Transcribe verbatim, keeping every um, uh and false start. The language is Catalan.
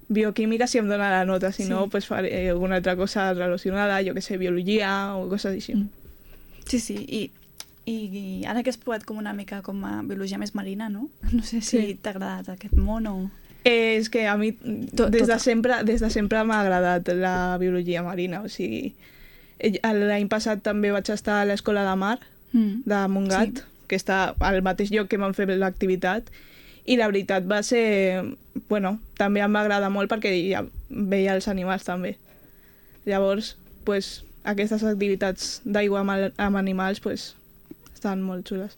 bioquímica si em dona la nota, si Sí. no, pues faré alguna altra cosa relacionada, jo que sé, biologia o coses així. Mm. Sí, sí, i, i, i ara que has provat com una mica com a biologia més marina, no? No sé si Sí. t'ha agradat aquest món o... Eh, és que a mi Tot- des de tota. sempre, des de sempre m'ha agradat la biologia marina, o sigui, eh, l'any passat també vaig estar a l'Escola de Mar Mm. de Montgat, Sí. que està al mateix lloc que vam fer l'activitat, i la veritat va ser... Bueno, també em va agradar molt perquè ja veia els animals també. Llavors, pues, aquestes activitats d'aigua amb, el- amb animals pues, estan molt xules.